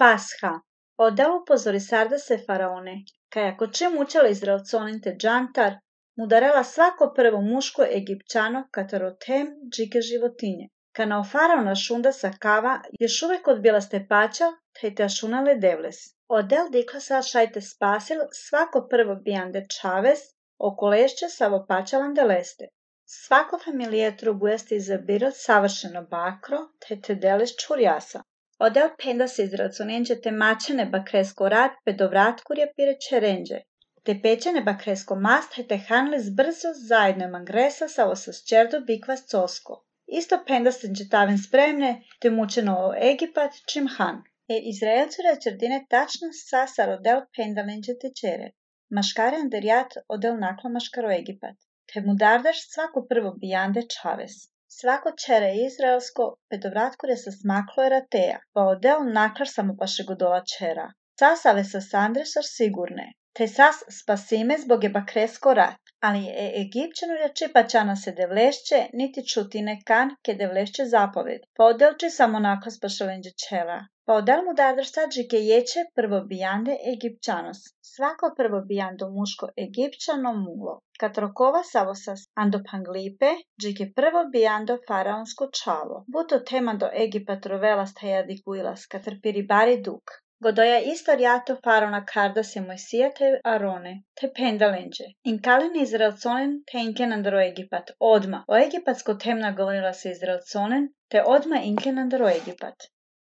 Pasha. Odel upozori Sardase faraone, kaj ako čim učela Izraelconin džantar, mu darela svako prvo muško Egipćano katarotem džike životinje. Kana o faraona šunda sa kava, još uvek odbila stepača, te šunale devles. Odel dikla sa šajte spasil svako prvo bijande čaves, okolešće savo pačalan deleste. Svako familijetru bujasti izabirati savršeno bakro, te deles čurjasa. Odel penda se izraconenđe te mačene bakresko rad pedovratkurje pireće renđe. Te pečene bakresko mast te hanle zbrzo zajedno mangresa sa osasčerdo bikvas cosko. Isto penda se taven spremne te mučeno o Egipat čim han. Izraelcu rečerdine tačno sasar odel pendalenđe tečere. Maškare anderjat odel nakla maškaro Egipat. Te mu dardaš svako prvo bijande čaves. Svako čere izraelsko pedovratkure sa smaklo erateja, pa odel naklar samo paše godova čera. Sasave sa sandrešar sigurne, te sas spasime zbog je bakresko rat, ali je Egipćanu reči pačana se devlešće, niti čutine kan ke devlešće zapoved, pa odelči samo nakla spašalenđe čera. Pa odel mu dardaš sadžike jeće prvo bijande Egipćanos. Svako prvo bijando muško Egipćano mulo. Katrokova savosas andopanglipe, džike prvo bijando faraonsko čalo. Buto temando Egipat rovelas tajadikuilas, katrpiribari duk. Godoja istorijato faraona Kardas je Mojsija te Arone, te pendalenđe. In kalin Izraelconen te inkenandaro Egipat, odma. O egipatsko temna govorila se Izraelconen, te odma inkenandaro Egipat.